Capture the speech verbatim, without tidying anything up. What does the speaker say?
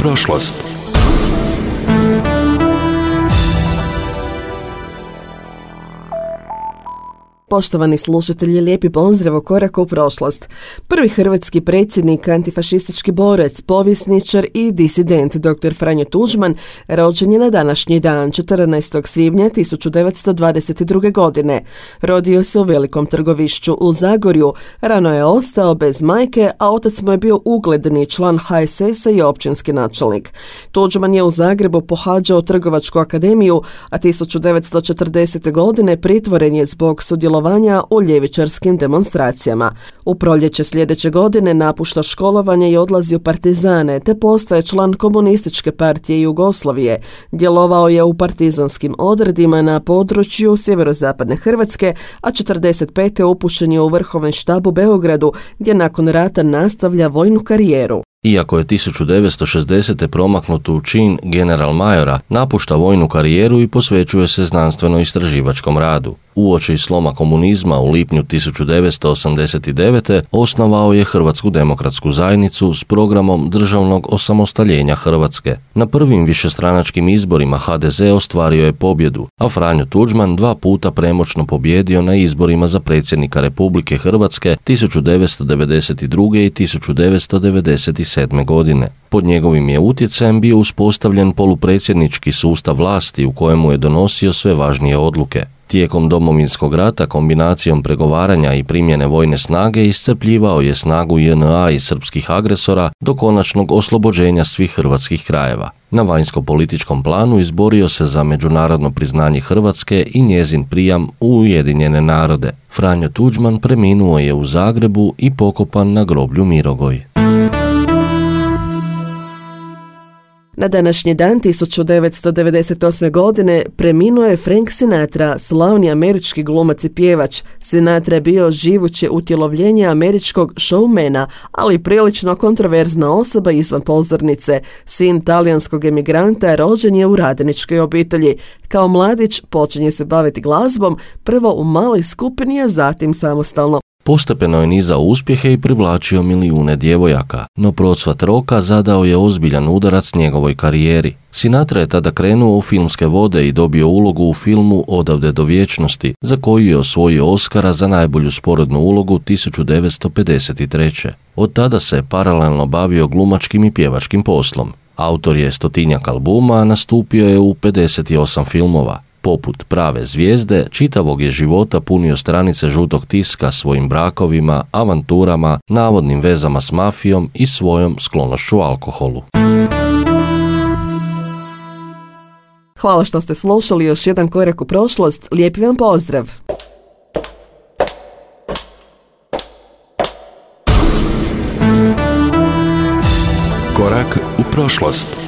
prošlost. Poštovani slušatelji, lijepi pozdrav u koraku u prošlost. Prvi hrvatski predsjednik, antifašistički borac, povjesničar i disident doktor Franjo Tuđman rođen je na današnji dan, četrnaestog svibnja tisuću devetsto dvadeset druge. godine. Rodio se u Velikom Trgovišću u Zagorju, rano je ostao bez majke, a otac mu je bio ugledni član ha es es a i općinski načelnik. Tuđman je u Zagrebu pohađao Trgovačku akademiju, a tisuću devetsto četrdesete. godine pritvoren je zbog sudjelovanja u ljevičarskim demonstracijama. U proljeće sljedeće godine napušta školovanje i odlazi u partizane, te postaje član Komunističke partije Jugoslavije. Djelovao je u partizanskim odredima na području sjeverozapadne Hrvatske, a četrdeset pete. upućen je u Vrhovni štab u Beogradu, gdje nakon rata nastavlja vojnu karijeru. Iako je tisuću devetsto šezdesete. promaknut u čin general majora, napušta vojnu karijeru i posvećuje se znanstveno-istraživačkom radu. Uoči sloma komunizma u lipnju tisuću devetsto osamdeset devete. osnovao je Hrvatsku demokratsku zajednicu s programom državnog osamostaljenja Hrvatske. Na prvim višestranačkim izborima ha de ze ostvario je pobjedu, a Franjo Tuđman dva puta premoćno pobjedio na izborima za predsjednika Republike Hrvatske tisuću devetsto devedeset druge. i tisuću devetsto devedeset sedme. godine. Pod njegovim je utjecajem bio uspostavljen polupredsjednički sustav vlasti u kojemu je donosio sve važnije odluke. Tijekom Domovinskog rata kombinacijom pregovaranja i primjene vojne snage iscrpljivao je snagu je en a i srpskih agresora do konačnog oslobođenja svih hrvatskih krajeva. Na vanjsko-političkom planu izborio se za međunarodno priznanje Hrvatske i njezin prijam u Ujedinjene narode. Franjo Tuđman preminuo je u Zagrebu i pokopan na groblju Mirogoj. Na današnji dan tisuću devetsto devedeset osme. godine preminuo je Frank Sinatra, slavni američki glumac i pjevač. Sinatra je bio živuće utjelovljenje američkog showmana, ali prilično kontroverzna osoba izvan pozornice. Sin talijanskog emigranta, rođen je u radničkoj obitelji. Kao mladić počinje se baviti glazbom, prvo u maloj skupini, a zatim samostalno. Postepeno je nizao uspjehe i privlačio milijune djevojaka, no procvat roka zadao je ozbiljan udarac njegovoj karijeri. Sinatra je tada krenuo u filmske vode i dobio ulogu u filmu Odavde do vječnosti, za koju je osvojio Oskara za najbolju sporednu ulogu tisuću devetsto pedeset treće. Od tada se je paralelno bavio glumačkim i pjevačkim poslom. Autor je stotinjak albuma, a nastupio je u pedeset osam filmova. Poput prave zvijezde, čitavog je života punio stranice žutog tiska svojim brakovima, avanturama, navodnim vezama s mafijom i svojom sklonošću alkoholu. Hvala što ste slušali još jedan korak u prošlost. Lijepi vam pozdrav! Korak u prošlost.